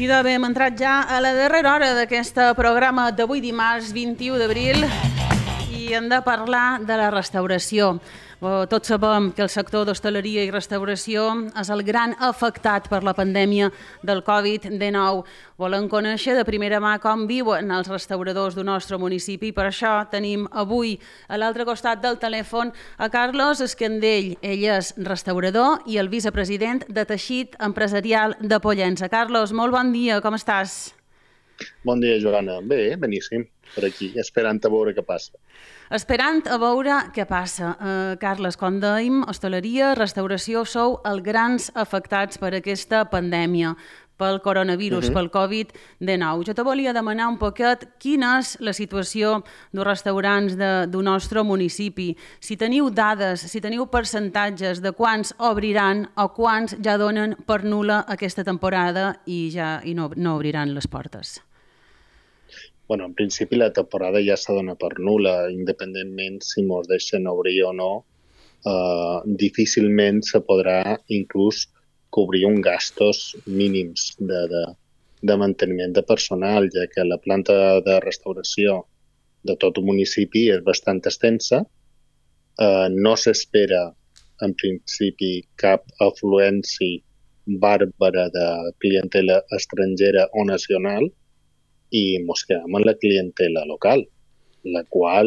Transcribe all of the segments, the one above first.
Idò, bé, hem entrat ja a la darrera hora d'aquest programa d'avui dimarts 21 d'abril i hem de parlar de la restauració. Tots sabem que el sector d'hostaleria i restauració és el gran afectat per la pandèmia del Covid-19. Volem conèixer de primera mà com viuen els restauradors del nostre municipi. Per això tenim avui a l'altre costat del telèfon a Carlos Escandell. Ell és restaurador i el vicepresident de Teixit Empresarial de Pollença. Carlos, molt bon dia, com estàs? Bon dia, Joana. Bé, beníssim, per aquí, esperant a veure què passa. Esperant a veure què passa. Carles, quan dèiem hostaleria, restauració, sou els grans afectats per aquesta pandèmia, pel coronavirus, pel Covid-19. Jo te volia demanar un poquet quina és la situació dels restaurants del nostre municipi. Si teniu dades, si teniu percentatges de quants obriran o quants ja donen per nul·la aquesta temporada i no obriran les portes. Bueno, en principi la temporada ja s'ha donat per nul·la, independentment si mos deixen obrir o no. Difícilment se podrà inclús cobrir uns gastos mínims de manteniment de personal, ja que la planta de restauració de tot el municipi és bastant extensa. No s'espera, en principi, cap afluència bàrbara de clientela estrangera o nacional, i ens quedem amb la clientela local, la qual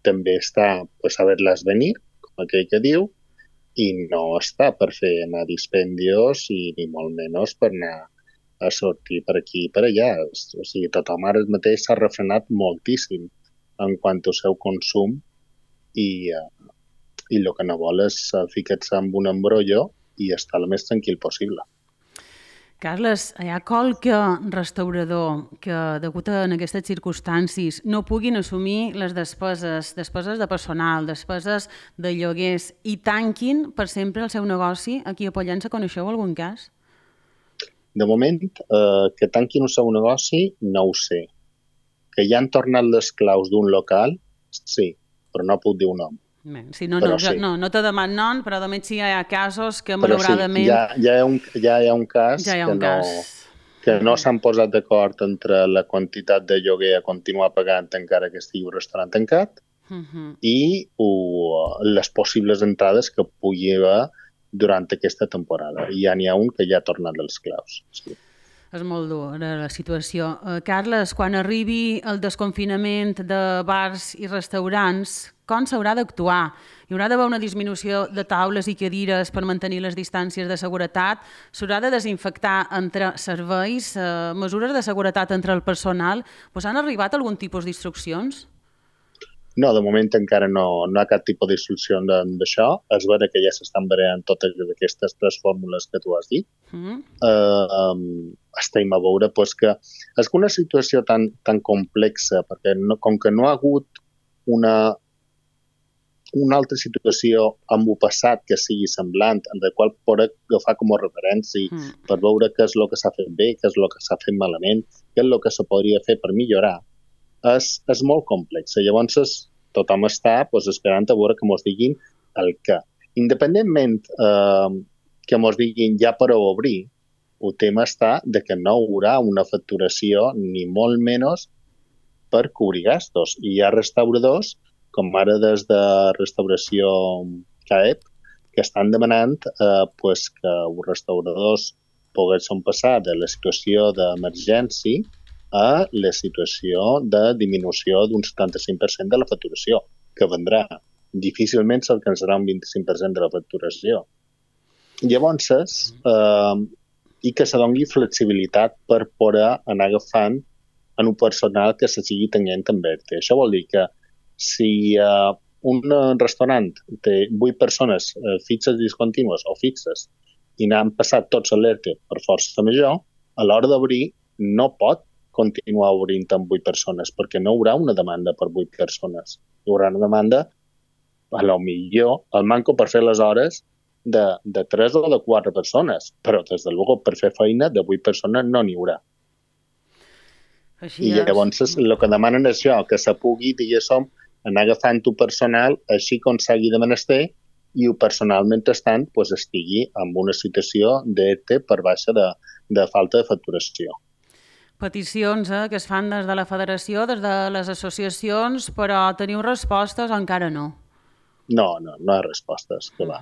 també està a saber-les venir, com aquell que diu, i no està per fer anar dispendios i ni molt menys per anar a sortir per aquí i per allà. O sigui, tothom ara mateix s'ha refrenat moltíssim en quant al seu consum i el que no vol és ficar-se en un embrollo i estar el més tranquil possible. Carles, hi ha qualque restaurador que, degut a aquestes circumstàncies, no puguin assumir les despeses de personal, despeses de lloguers i tanquin per sempre el seu negoci? Aquí a Pollença coneixeu algun cas? De moment, que tanquin el seu negoci, no ho sé. Que ja han tornat les claus d'un local, sí, però no puc dir un nom. Sí, no te deman nom, però només sí hi ha casos que malauradament... Però sí, ja hi ha un cas que no s'han posat d'acord entre la quantitat de lloguer a continuar pagant encara que estigui un restaurant tancat i les possibles entrades que pugui haver durant aquesta temporada. I ja n'hi ha un que ja ha tornat les claus. Sí. És molt dur la situació. Carles, quan arribi el desconfinament de bars i restaurants, com s'haurà d'actuar? Hi haurà d'haver una disminució de taules i cadires per mantenir les distàncies de seguretat? S'haurà de desinfectar entre serveis? Mesures de seguretat entre el personal? Han arribat algun tipus d'instruccions? No, de moment encara no hi ha cap tipus d'instrucció d'això. És vera que ja s'estan barallant totes aquestes tres fórmules que tu has dit. Estem a veure que és una situació tan complexa, perquè com que no ha hagut una altra situació amb el passat que sigui semblant, en la qual pot agafar com a referència per veure què és el que s'ha fet bé, què és el que s'ha fet malament, què és el que se podria fer per millorar, és molt complex. Llavors, tothom està esperant a veure que ens diguin el què. Independentment que ens diguin ja per obrir, el tema està de que no hi haurà una facturació ni molt menys per cobrir gastos. I hi ha restauradors, com ara des de Restauració CAEP, que estan demanant que els restauradors poguessin passar de la situació d'emergència a la situació de disminució d'un 75% de la facturació, que vendrà. Difícilment s'alcançarà un 25% de la facturació. Llavors, i que se doni flexibilitat per poder anar agafant en un personal que se sigui tenint en ERTE. Això vol dir que si un restaurant té 8 persones fixes discontínues o fixes i n'han passat tots a l'ERTE per força major, a l'hora d'obrir no pot continuar obrint amb 8 persones, perquè no hi haurà una demanda per 8 persones. Hi haurà una demanda, a lo millor, el manco per fer les hores de 3 o de 4 persones, però des de luego per fer feina de 8 persones no n'hi haurà. I llavors el que demanen és això, que se pugui, diguéssim, anar agafant tu personal així com s'hagi de menester i personalment estant pues, estigui en una situació d'ERTE per baixa de falta de facturació. Peticions que es fan des de la federació, des de les associacions, però teniu respostes o encara no? No hi ha respostes, que va.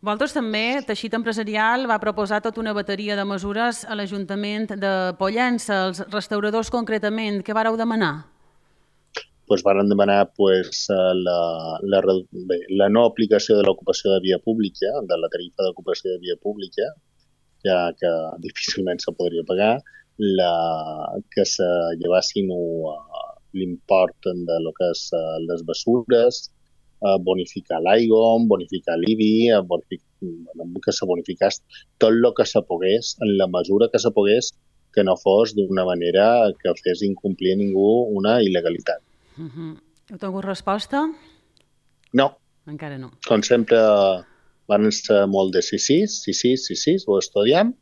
Vosaltres també, Teixit Empresarial va proposar tota una bateria de mesures a l'Ajuntament de Pollença, els restauradors concretament. Què vareu demanar? Van demanar la no aplicació de l'ocupació de via pública, de la tarifa d'ocupació de via pública, ja que difícilment se podria pagar, que se llevassin l'import de lo que és les bessures, bonificar l'aigua, bonificar l'IBI, que se bonificés tot el que se pogués, en la mesura que se pogués, que no fos d'una manera que fes incomplir ningú una il·legalitat. Heu tingut resposta? No. Encara no. Com sempre, van ser molt de sí, ho estudiem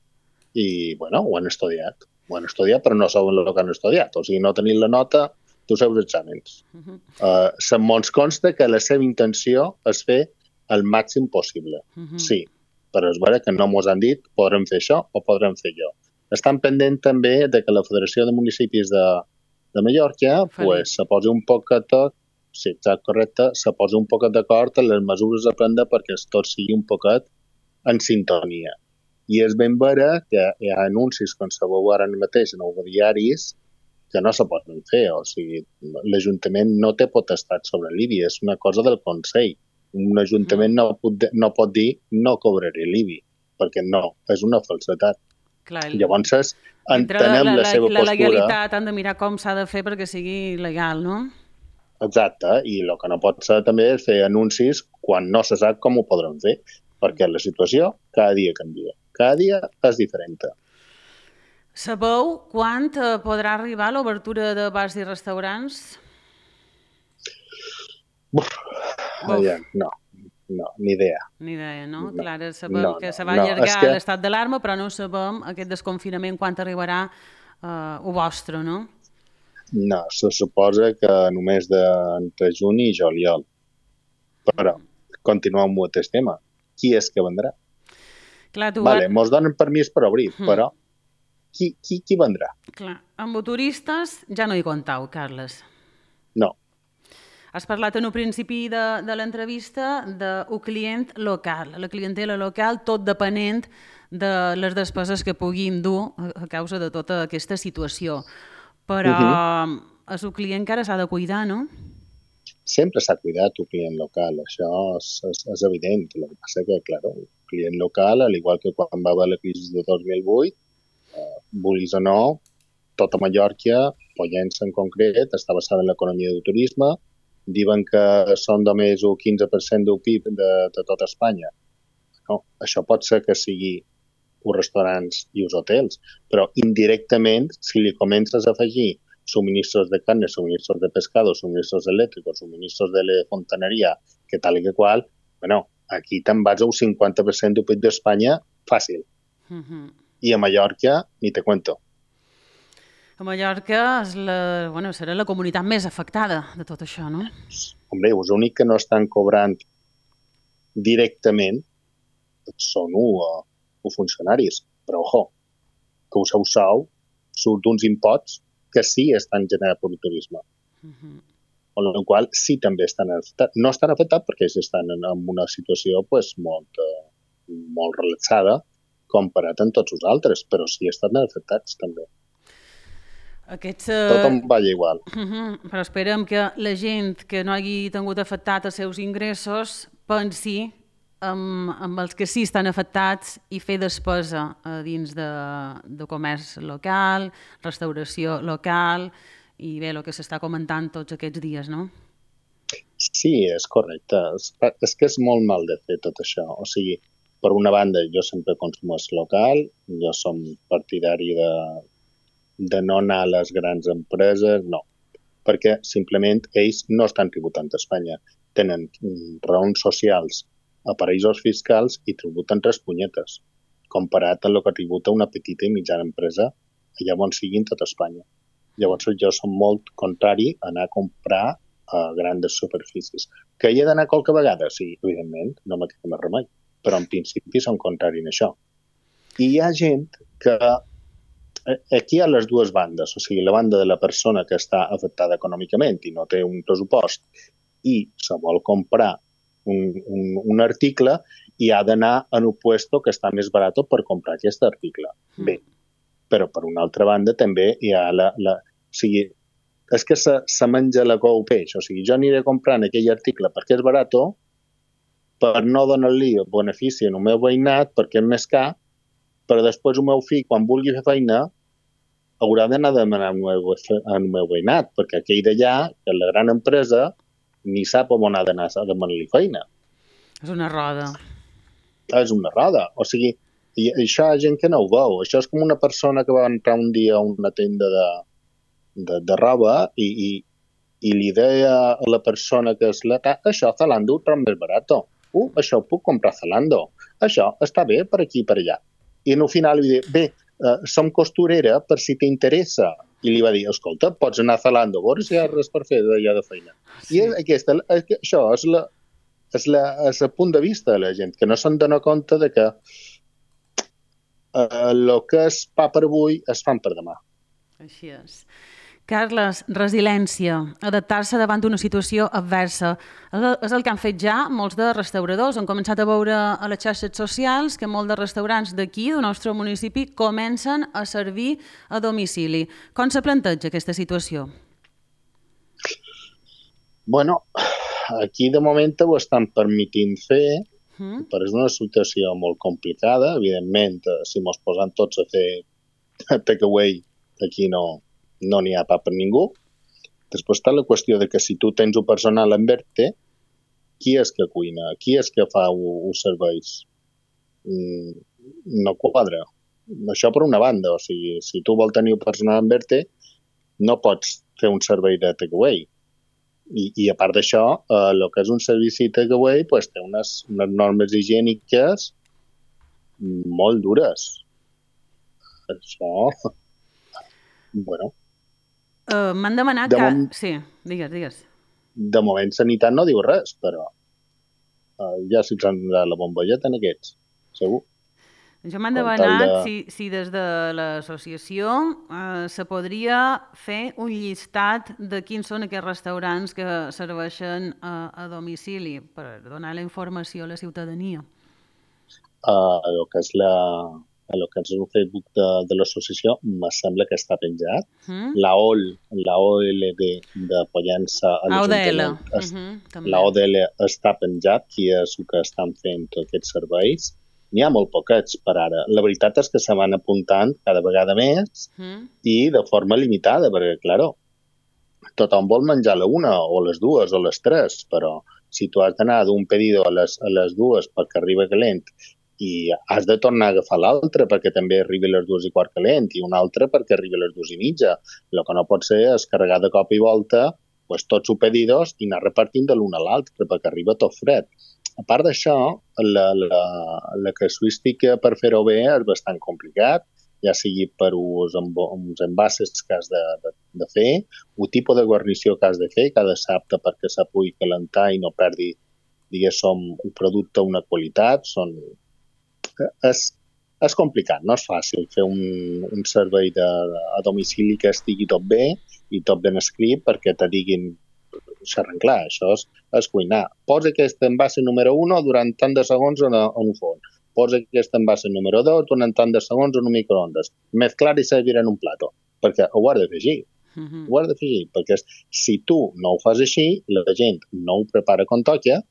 i, ho han estudiat. Ho han estudiat, però no saben el que han estudiat. O sigui, no tenint la nota dels seus exàmens. Ens consta que la seva intenció és fer el màxim possible. Sí, però és vera que no ens han dit podrem fer això o podrem fer allò. Estan pendent també de que la Federació de Municipis de Mallorca se posi un poquet, sí, exacte, correcte, se posi un poquet d'acord en les mesures a prendre perquè tot sigui un poquet en sintonia. I és ben vera que hi ha anuncis, com sabeu ara mateix en els diaris, que no se poden fer. O sigui, l'Ajuntament no té potestat sobre l'IBI, és una cosa del Consell. Un Ajuntament no pot dir no cobraré l'IBI, perquè no, és una falsedat. Llavors, entenem la seva postura. La legalitat han de mirar com s'ha de fer perquè sigui legal, no? Exacte, i el que no pot ser també és fer anuncis quan no se sap com ho podran fer, perquè la situació cada dia canvia. Cada dia és diferent. Sabeu quan podrà arribar l'obertura de bars i restaurants? No, ni idea. Ni idea, no? Clar, sabem que se va allargar l'estat d'alarma, però no sabem aquest desconfinament quan arribarà el vostre, no? No, se suposa que només entre juny i juliol. Però, continuem amb el tema. Qui és que vendrà? Mos donen permís per obrir, però qui vendrà? Clar, amb turistes ja no hi comptau, Carles. No. Has parlat en un principi de l'entrevista d'un client local, la clientela local, tot depenent de les despeses que puguin dur a causa de tota aquesta situació. Però és un client que ara s'ha de cuidar, no? Sempre s'ha cuidat el client local, això és evident. El que passa que, clar, el client local, al igual que quan va haver la crisi de 2008, vulguis o no, tota Mallorca, Pollença en concret, està basada en l'economia del turisme. Diuen que són només el 15% del PIB de tot Espanya. No, això pot ser que sigui els restaurants i els hotels, però indirectament, si li comences a afegir suministros de carne, suministros de pescado, suministros elèctricos, suministros de fontaneria, que tal i que qual, aquí te'n vas al 50% del PIB d'Espanya fàcil. I a Mallorca, ni te cuento. A Mallorca serà la comunitat més afectada de tot això, no? Hombre, els únics que no estan cobrant directament són els funcionaris. Però, que el seu sou surt d'uns imposts que sí estan generats per el turisme. Amb la qual sí també estan afectats. No estan afectats perquè estan en una situació molt relaxada comparat amb tots els altres, però sí estan afectats també. Tothom balla igual. Però esperem que la gent que no hagi tingut afectat els seus ingressos pensi amb els que sí estan afectats i fer despesa dins de comerç local, restauració local i bé, el que s'està comentant tots aquests dies, no? Sí, és correcte. És que és molt mal de fer tot això. O sigui, per una banda, jo sempre consumeix local, jo som partidari de no anar a les grans empreses, no. Perquè simplement ells no estan tributant a Espanya. Tenen raons socials a paraïsos fiscals i tributen 3 punyetes, comparat amb el que tributa una petita i mitjana empresa allà on sigui en tot Espanya. Llavors jo som molt contrari a anar a comprar grans superfícies. Que hi ha d'anar qualque vegada? Sí, evidentment, no me queda més remei. Però en principi són contraris a això. I hi ha gent que aquí hi ha les dues bandes, o sigui, la banda de la persona que està afectada econòmicament i no té un pressupost i se vol comprar un article i ha d'anar en un puesto que està més barat per comprar aquest article. Bé, però per una altra banda també hi ha o sigui, és que se menja la cou peix, o sigui, jo aniré comprant aquell article perquè és barat per no donar-li el benefici al meu veïnat perquè és més car, però després el meu fill, quan vulgui fer feina, haurà d'anar a demanar al meu veïnat, perquè aquell d'allà, que la gran empresa, ni sap on ha d'anar a demanar-li feina. És una roda. És una roda. O sigui, i això hi ha gent que no ho veu. Això és com una persona que va entrar un dia a una tenda de roba i li deia a la persona que és això, Zalando, ho trobo més barat. Això ho puc comprar a Zalando. Això està bé per aquí i per allà. I al final li diu, bé, som costurera per si t'interessa. I li va dir, escolta, pots anar a Zalando, a veure si hi ha res per fer d'allà de feina. Sí. I això és el punt de vista de la gent, que no se'n dona compte de que el que es fa per avui es fan per demà. Així és. Carles, resiliència, adaptar-se davant d'una situació adversa. És el que han fet ja molts de restauradors. Han començat a veure a les xarxes socials que molts de restaurants d'aquí, del nostre municipi, comencen a servir a domicili. Com se planteja aquesta situació? Bueno, aquí de moment ho estan permitint fer, però és una situació molt complicada. Evidentment, si mos posem tots a fer takeaway, aquí no n'hi ha pa per ningú. Després està la qüestió de que si tu tens un personal en verte, qui és que cuina? Qui és que fa els serveis? No quadra. Això per una banda, o sigui, si tu vols tenir un personal en verte, no pots fer un servei de takeaway. I a part d'això, el que és un servici takeaway pues, té unes normes higièniques molt dures. Això... Bueno... M'han demanat Sí, digues. De moment Sanitat no diu res, però ja si ens la bomballeta en aquests, segur. Jo m'han demanat si des de l'associació se podria fer un llistat de quins són aquests restaurants que serveixen a domicili per donar la informació a la ciutadania. El que és el Facebook de l'associació me sembla que està penjat. La OLD de Pollença a l'Ajuntament, la ODL està penjat, qui és el que estan fent aquests serveis. N'hi ha molt poquets per ara. La veritat és que se van apuntant cada vegada més i de forma limitada, perquè, clar, tothom vol menjar la una o les dues o les tres, però si tu has d'anar d'un pedido a les dues perquè arriba calent i has de tornar a agafar l'altre perquè també arribi a les 2:15 calent i un altre perquè arribi a les 2:30. El que no pot ser és carregar de cop i volta pues, tots els pedidos i anar repartint de l'un a l'altre perquè arriba tot fred. A part d'això, la casuística per fer-ho bé és bastant complicat, ja sigui per uns envases que has de fer, el tipus de guarnició que has de fer, que ha de ser apte perquè se pugui calentar i no perdi, diguéssim, un producte, una qualitat. És complicat, no és fàcil fer un servei a domicili que estigui tot bé i tot ben escrit perquè te diguin xerrant clar, això és cuinar. Posa aquest envase número 1 durant tant de segons en un forn. Posa aquest envase número 2 durant tant de segons en un microondes. Mezclar i servir en un plato. Perquè ho has de fer així. Ho has de fer així. Perquè si tu no ho fas així, la gent no ho prepara com toca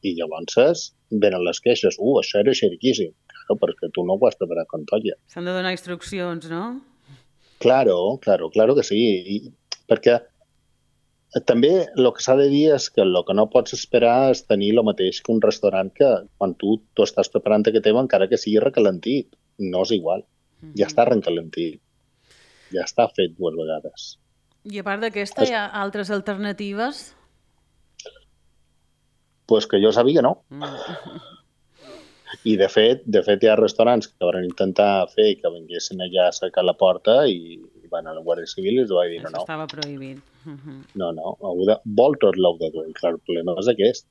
i llavors venen les queixes. Això era xeriquíssim. Claro, perquè tu no ho has preparat com toca. S'han de donar instruccions, no? Claro que sí. Perquè també el que s'ha de dir és que el que no pots esperar és tenir el mateix que un restaurant que quan tu estàs preparant aquest tema encara que sigui recalentit. No és igual. Ja està recalentit. Ja està fet 2 vegades. I a part d'aquesta hi ha altres alternatives? Pues que jo sàpiga no. I de fet hi ha restaurants que van intentar fer que vinguessin allà a cercar la porta i van a la Guàrdia Civil i els va dir Això no, estava prohibit. no, vol tot l'ou de dur. I clar, el problema és aquest.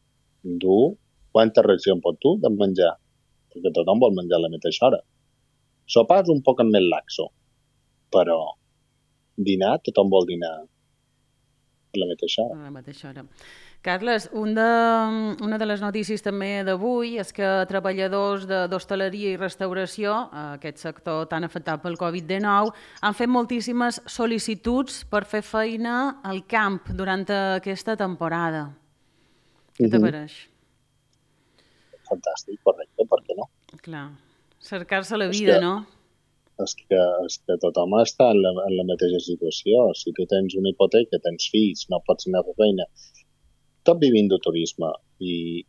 Quanta reacció pot dur de menjar? Perquè tothom vol menjar a la mateixa hora. Sopar és un poc més laxo, però dinar, tothom vol dinar a la mateixa hora. A la mateixa hora. Carles, una de les notícies també d'avui és que treballadors d'hostaleria i restauració, aquest sector tan afectat pel Covid-19, han fet moltíssimes sol·licituds per fer feina al camp durant aquesta temporada. Què t'apareix? Fantàstic, correcte, per què no? Clar, cercar-se la vida, no? És que tothom està en la mateixa situació. Si tu tens una hipoteca, tens fills, no pots anar a fer feina, tot vivint de turisme i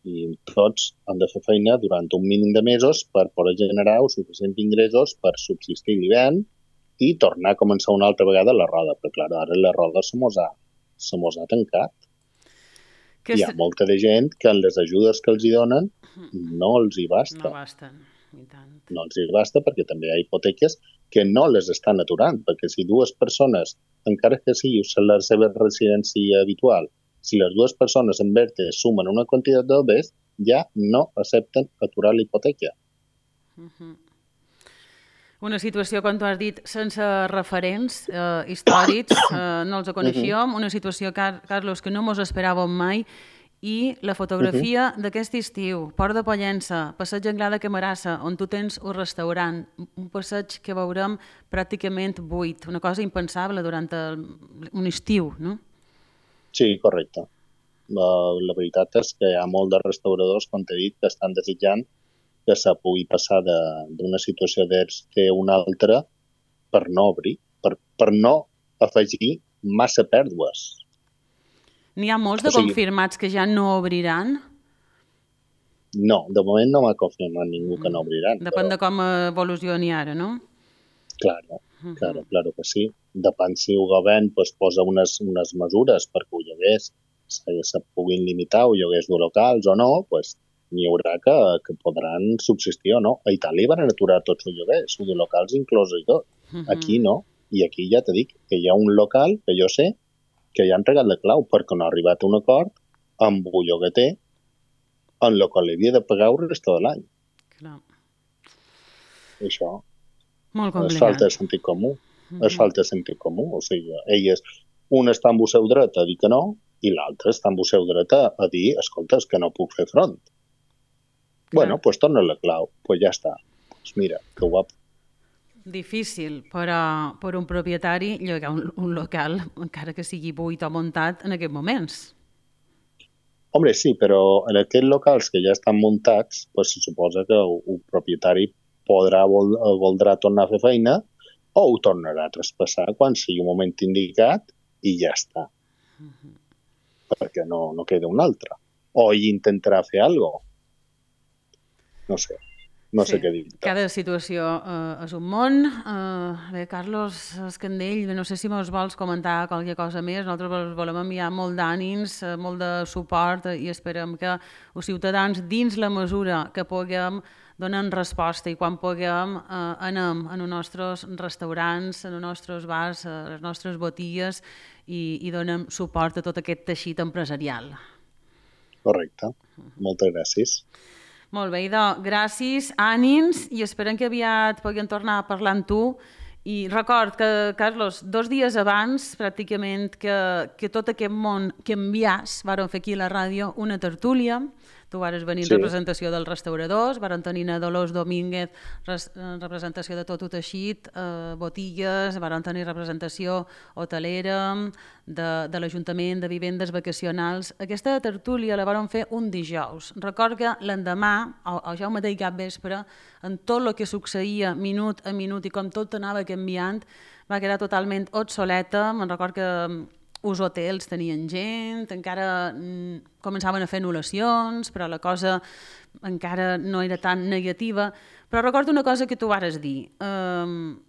tots han de fer feina durant un mínim de mesos per poder generar suficients ingressos per subsistir l'hivern i tornar a començar una altra vegada la roda. Però, clar, ara la roda se mos ha tancat. Hi ha molta de gent que en les ajudes que els hi donen no els hi basta. No basten, i tant. No els hi basta perquè també hi ha hipoteques que no les estan aturant, perquè si dues persones, encara que sigui la seva residència habitual, si les dues persones en verde sumen una quantitat d'obres, ja no accepten aturar la hipoteca. Una situació, com tu has dit, sense referents històrics, no els coneixíem, una situació, Carlos, que no mos esperàvem mai, i la fotografia d'aquest estiu, Port de Pollença, passeig Anglada de Camarassa, on tu tens un restaurant, un passeig que veurem pràcticament buit, una cosa impensable durant un estiu, no? Sí, correcte. La veritat és que hi ha molts de restauradors, com t'he dit, que estan desitjant que se pugui passar d'una situació d'ERTE a una altra per no obrir, per no afegir massa pèrdues. N'hi ha molts de confirmats que ja no obriran? No, de moment no m'ha confirmat ningú que no obriran. Depèn de com evolucioni ara, no? Claro que sí. Depèn si el govern posa unes mesures perquè els lloguers se puguin limitar o lloguers de locals o no, n'hi haurà que podran subsistir o no. A Itàlia van aturar tots els lloguers, de locals inclòs i tot. Aquí no. I aquí ja t'he dit que hi ha un local, que jo sé, que ja han regat la clau perquè no ha arribat a un acord amb un llogater en el qual havia de pagar el resta de l'any. Clar. Això molt complicat. És falta de sentit comú. És falta de sentit comú. O sigui, un està en el seu dret a dir que no i l'altre està en el seu dret a dir, escolta, és que no puc fer front. Clar. Bueno, doncs torna la clau. Doncs ja està. Doncs mira, que guapo. Difícil per un propietari llogar un local, encara que sigui buit o muntat, en aquests moments. Home, sí, però en aquests locals que ja estan muntats, se suposa que un propietari voldrà tornar a fer feina o ho tornarà a traspassar quan sigui un moment indicat i ja està. Perquè no queda un altre. O ell intentarà fer alguna cosa. No sé. No sé què dir. Cada situació és un món. Bé, Carlos Escandell, no sé si mos vols comentar qualque cosa més. Nosaltres volem enviar molt d'ànims, molt de suport i esperem que els ciutadans, dins la mesura que puguem, donen resposta i quan puguem anem a els nostres restaurants, a els nostres bars, a les nostres botigues i donem suport a tot aquest teixit empresarial. Correcte. Moltes gràcies. Molt bé, idò, gràcies, ànims, i esperem que aviat puguem tornar a parlar amb tu. I record que, Carlos, 2 dies abans, pràcticament, que tot aquest món canviàs, vàrem fer aquí a la ràdio una tertúlia. Tu vares venir en representació dels restauradors, varen tenir a Dolors Domínguez representació de tot el teixit, botigues, varen tenir representació hotelera, de l'Ajuntament de Vivendes Vacacionals. Aquesta tertúlia la varen fer un dijous. Record que l'endemà, o ja el mateix cap vespre, en tot el que succeïa minut a minut i com tot anava canviant, va quedar totalment obsoleta. Me'n record que els hotels tenien gent, encara començaven a fer anul·lacions, però la cosa encara no era tan negativa. Però recordo una cosa que tu vares dir.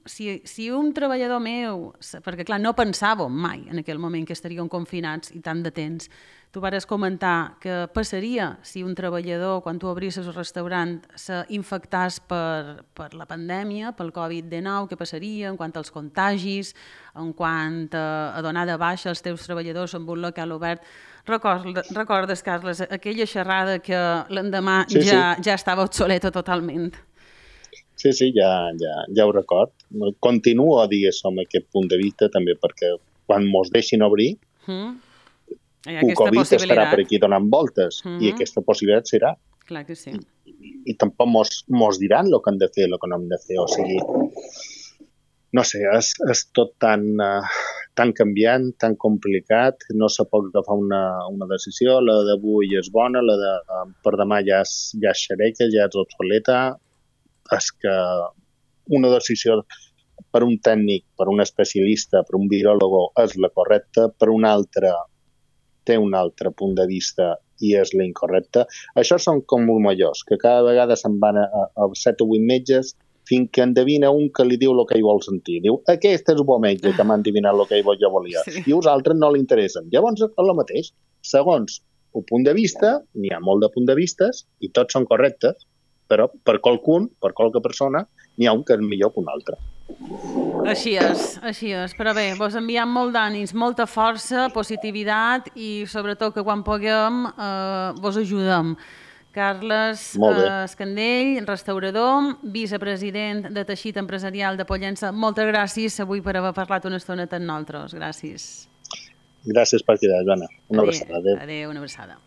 Si un treballador meu, perquè clar, no pensàvem mai en aquell moment que estaríem confinats i tant de temps, tu vares comentar que passaria si un treballador, quan tu obrisses el restaurant, s'infectàs per la pandèmia, pel Covid-19, què passaria en quant als contagis, en quant a donar de baixa els teus treballadors en un local obert. Recordes, Carles, aquella xerrada que l'endemà ja estava obsoleta totalment? Sí, ja ho record. Continuo a dir això amb aquest punt de vista, també perquè quan mos deixin obrir, el Covid estarà per aquí donant voltes i aquesta possibilitat serà. Clar que sí. I tampoc mos diran el que hem de fer, el que no hem de fer. O sigui, no sé, és tot tan canviant, tan complicat, no se pot agafar una decisió, la d'avui és bona, la de per demà ja és xereca, ja és obsoleta. És que una decisió per un tècnic, per un especialista, per un viròlogo és la correcta, per un altre té un altre punt de vista i és la incorrecta. Això són com murmellors, que cada vegada se'n van a 7 o 8 metges fins que endevina un que li diu el que ell vol sentir. Diu, aquest és el bon metge que m'ha endevinat el que jo volia. Sí. I els altres no li interessen. Llavors és el mateix. Segons el punt de vista, n'hi ha molt de punts de vistes i tots són correctes, però per qualcun, per qualque persona, n'hi ha un que és millor que un altre. Així és. Però bé, vos enviem molt d'ànims, molta força, positivitat i sobretot que quan puguem vos ajudem. Carles Escandell, restaurador, vicepresident de Teixit Empresarial de Pollença, moltes gràcies avui per haver parlat una estona amb nosaltres. Gràcies. Gràcies per cridar, Joana. Una abraçada. Adéu, una abraçada.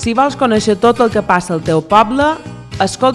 Si vols conèixer tot el que passa al teu poble, escolta